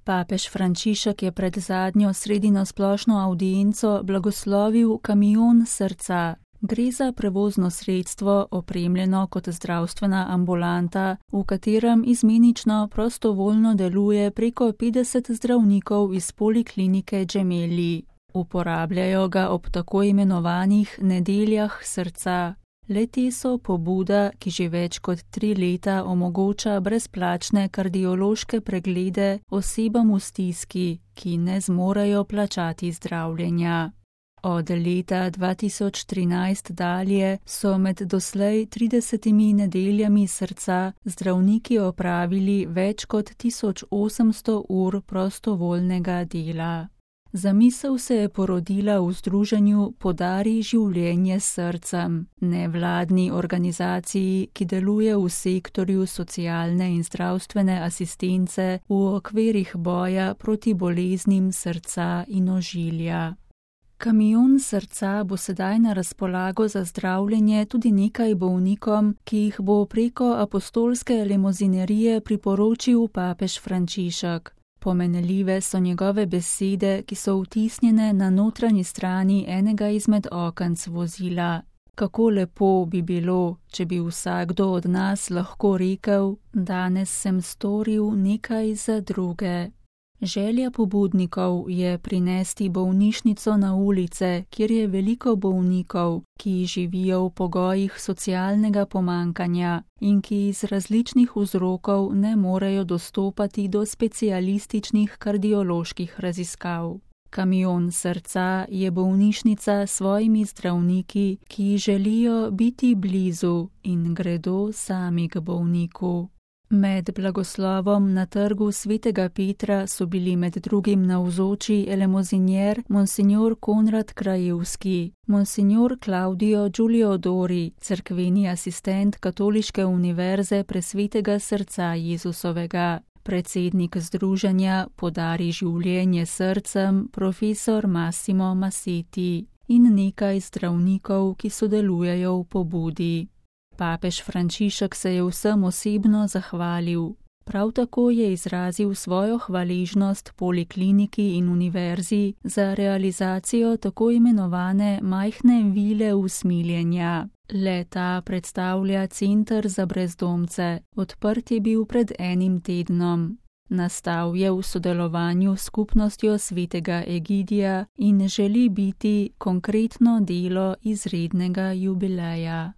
Papež Frančišek je pred zadnjo sredino splošno avdienco blagoslovil kamion srca. Gre za prevozno sredstvo, opremljeno kot zdravstvena ambulanta, v katerem izmenično prostovoljno deluje preko 50 zdravnikov iz poliklinike Gemelli. Uporabljajo ga ob tako imenovanih nedeljah srca. Le-te so pobuda, ki že več kot 3 leta omogoča brezplačne kardiološke preglede osebam v stiski, ki ne zmorejo plačati zdravljenja. Od leta 2013 dalje so med doslej 30 nedeljami srca zdravniki opravili več kot 1800 ur prostovoljnega dela. Zamisel se je porodila v združenju Podari življenje s srcem, nevladni organizaciji, ki deluje v sektorju socialne in zdravstvene asistence v okvirih boja proti boleznim srca in ožilja. Kamion srca bo sedaj na razpolago za zdravljenje tudi nekaj bolnikom, ki jih bo preko apostolske limuzinerije priporočil papež Frančišek. Pomenljive so njegove besede, ki so vtisnjene na notranji strani enega izmed okenc vozila. Kako lepo bi bilo, če bi vsakdo od nas lahko rekel, danes sem storil nekaj za druge. Želja pobudnikov je prinesti bolnišnico na ulice, kjer je veliko bolnikov, ki živijo v pogojih socialnega pomankanja in ki iz različnih vzrokov ne morejo dostopati do specialističnih kardioloških raziskav. Kamion srca je bolnišnica s svojimi zdravniki, ki želijo biti blizu in gredo sami k bolniku. Med blagoslovom na trgu Svetega Petra so bili med drugim navzoči elemozinjer monsignor Konrad Krajewski, monsignor Claudio Giuliodori, cerkveni asistent Katoliške univerze Presvetega srca Jezusovega, predsednik združenja Podari življenje srcem profesor Massimo Massetti in nekaj zdravnikov, ki sodelujejo v pobudi. Papež Frančišek se je vsem osebno zahvalil. Prav tako je izrazil svojo hvaležnost polikliniki in univerzi za realizacijo tako imenovane majhne vile usmiljenja. Le-ta predstavlja center za brezdomce, odprt je bil pred 1 tednom. Nastal je v sodelovanju s skupnostjo Svetega Egidija in želi biti konkretno delo izrednega jubileja.